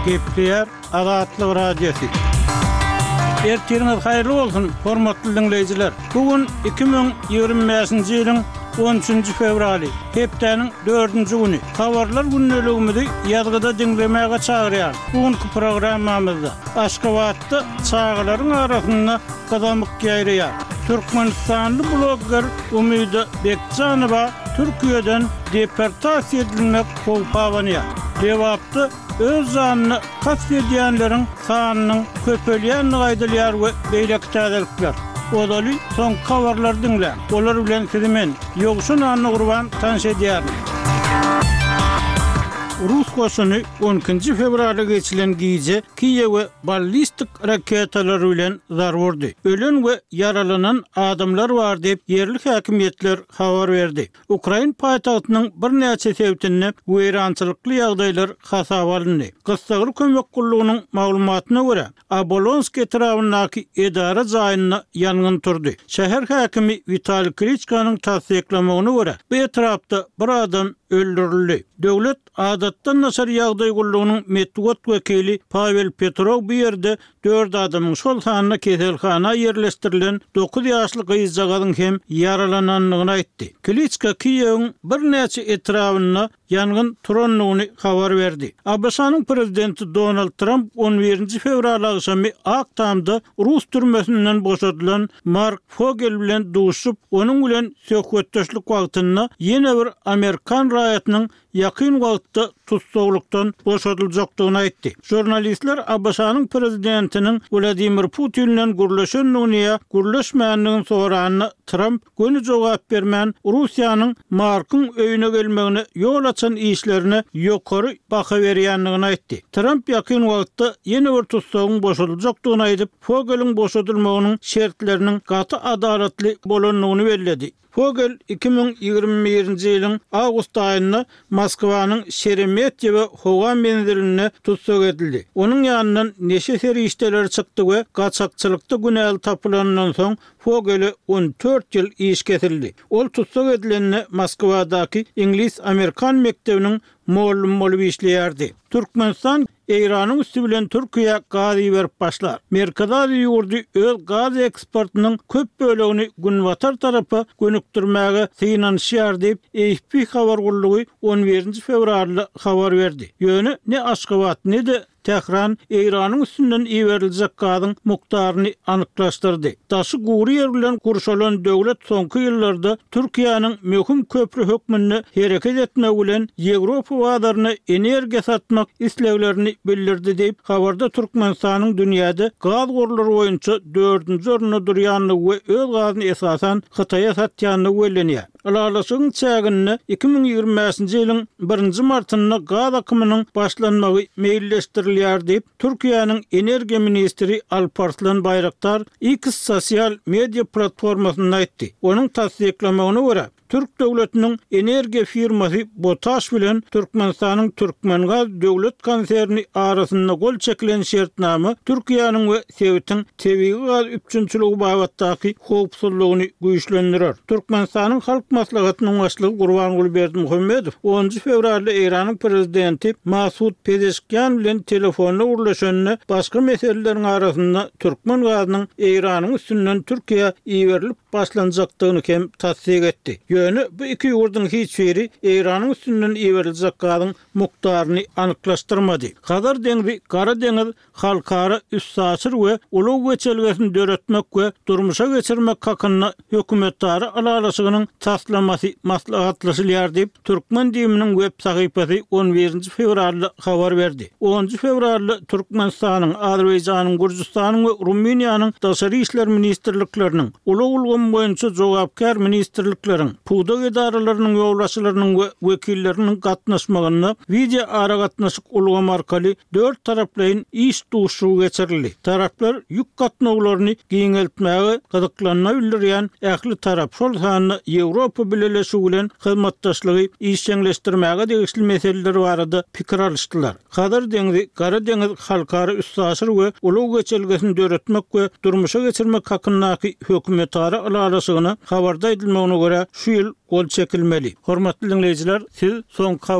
Gepleýär Azatlyk Radiosy. Ertiriňiz haýyrly bolsun, hormatly diňleýjiler! Bu gün 2025-nji ýylyň on üçünji fewraly, hepdäniň dördünji güni. Habarlar gündeligimizi ýazgyda diňlemäge çagyrýarys. Bu günki programmamyzda Aşgabatda çagalaryň arasynda gyzamyk ýaýraýar. Türkmenistanly blogger Umyda Bekjanowa Türkiýeden deportasiýa edilmek howpy abanýar. Lebapda öz janyna kast edýänleriň sanynyň köpelýändigi aýdylýar we beýleki täzelikler. Ozaly soňky habarlary diňläň. Olar bilen sizi men, Ýowşan Annagurban tanyş edýärin. Rus goşuny on ikinji fewralda geçilen gije Kiýewe ballistik raketalary bilen zarba urdy. Ölen we ýaralanan adamlar bar diýip, ýerli häkimiýetler habar berdi. Ukrain paýtagtynyň birnäçe sebitinde weýrançylykly ýagdaýlar hasaba alyndy. Gyssagly kömek gullugynyň maglumatyna görä, Obolonsk etrabyndaky edara jaýynda ýangyn turdy. Şäher häkimi Witaliý Kliçkanyň tassyklamagyna görä, bu etrapda bir adam öldürildi. Döwlet adatdan daşary ýagdaý gullugynyň metbugat wekili Pawel Petrow bu ýerde dört adamyň, şol sanda keselhana ýerleşdirilen dokuz ýaşly gyzjagazyň hem ýaralanandygyny aýtdy. Kliçka Kiýewiň birnäçe etrabynda ýangyn turandygyny habar berdi. ABŞ-nyň prezidenti Donald Tramp on birinji fewral agşamy Ak Tamda rus türmesinden boşadylan Mark Fogel bilen duşup, onuň bilen söhbetdeşlik wagtynda ýene bir amerikan raýatynyň ýakyn wagtda tussaglykdan boşadyljakdygyny aýtdy. Žurnalistler ABŞ-nyň prezidentiniň Wladimir Putin bilen gürleşendigini ýa gürleşmändigini soranda, Tramp göni jogap bermän, Russiýanyň Markyň öýüne gelmegine ýol açan işlerine ýokary baha berýändigini aýtdy. Tramp ýakyn wagtda ýene bir tussagyň boşadyljakdygyny aýdyp, Fogeliň boşadylmagynyň şertleriniň gaty adalatly bolandygyny belledi. Fogel 2021-nji ýylyň awgust aýynda Moskwanyň Şeremetýewo howa menzilinde tussag edildi. Onuň ýanyndan neşe serişdeleri çykdy we gaçakçylykda günäli tapylanyndan soň Fogele 14 ýyl iş kesildi. Ol tussag edilende Moskwadaky iňlis-amerikan mekdebiniň mugallym bolup işleýärdi. Türkmenistan Eýranyň üsti bilen Türkiýä gaz iberip başlar. Merkezi Aziýa ýurdy öz gaz eksportynyň köp bölegini günbatar tarapa gönükdirmäge synanyşýar diýip, AFP habar gullugy on birinji fewralda habar berdi. Ýöne ne Aşgabat, ne-de Tähran Eýranyň üstünden iberiljek gazyň mukdaryny anyklaşdyrdy. Daşy gury ýer bilen gurşalan döwlet soňky ýyllarda Türkiýäniň möhüm köpri hökmünde hereket etmegi bilen Ýewropa bazaryna energiýa satmak isleglerini bildirdi diýip, habarda Türkmenistanyň dünýäde gaz gorlary boýunça dördünji orunda durýandygy we öz gazyny esasan Hytaýa satýandygy bellenýär. Ylalaşygyň çäginde 2025-nji ýylyň birinji martynda gaz akymynyň başlanmagy meýilleşdirilýär diýip, Türkiýäniň energiýa ministri Alparslan Baýraktar X sosial media platformasynda aýtdy. Onuň tassyklamagyna görä, türk döwletiniň energiýa firmasy BOTAŞ bilen Türkmenistanyň Türkmengaz döwlet konserni arasynda gol çekilen şertnama Türkiýäniň we sebitiň tebigy gaz üpjünçiligi babatdaky howpsuzlygyny güýçlendirer. Türkmenistanyň Halk Maslahatynyň Başlygy Gurbanguly Berdimuhamedow onunjy fewralda Eýranyň Prezidenti Masud Pezeşkian bilen telefonda gürleşende başga meseleleriň arasynda türkmen gazynyň Eýranyň üstünden Türkiýä iberilip başlanjakdygyny hem tassyk etdi. Ýöne bu iki ýurduň hiç biri Eýranyň üstünden iberiljek gazyň mukdaryny anyklaşdyrmady. Hazar deňzi, Gara deňiz halkara üstaşyr we ulag geçelgesini döretmek we durmuşa geçirmek hakynda hökümetara ylalaşygynyň taslamasy maslahatlaşylýar diýip, türkmen DIM-niň web sahypasy on birinji fewralda habar berdi. Onunjy fewralda Türkmenistanyň, Azerbaýjanyň, Gürjüstanyň we Rumyniýanyň Daşary işler ministrlikleriniň, ulag ulgamy boýunça jogapkär ministrlikleriň, pudak edaralarynyň ýolbaşçylarynyň we wekilleriniň gatnaşmagynda wideoaragatnaşyk ulgamy arkaly dörttaraplaýyn iş duşuşygy geçirildi. Taraplar ýük gatnawlaryny giňeltmäge gyzyklanma bildirýän ähli tarap, şol sanda Ýewropa Bileleşigi bilen hyzmatdaşlygy işjeňleşdirmäge degişli meseleler barada pikir alyşdylar. Hazar deňzi, Gara deňiz halkara üstaşyr we ulag geçelgesini döretmek we durmuşa geçirmek hakyndaky hökümetara ylalaşygyna habarda aýdylmagyna görä, şu ýyl gol çekilmeli. Hormatly diňleýjiler, siz soňky.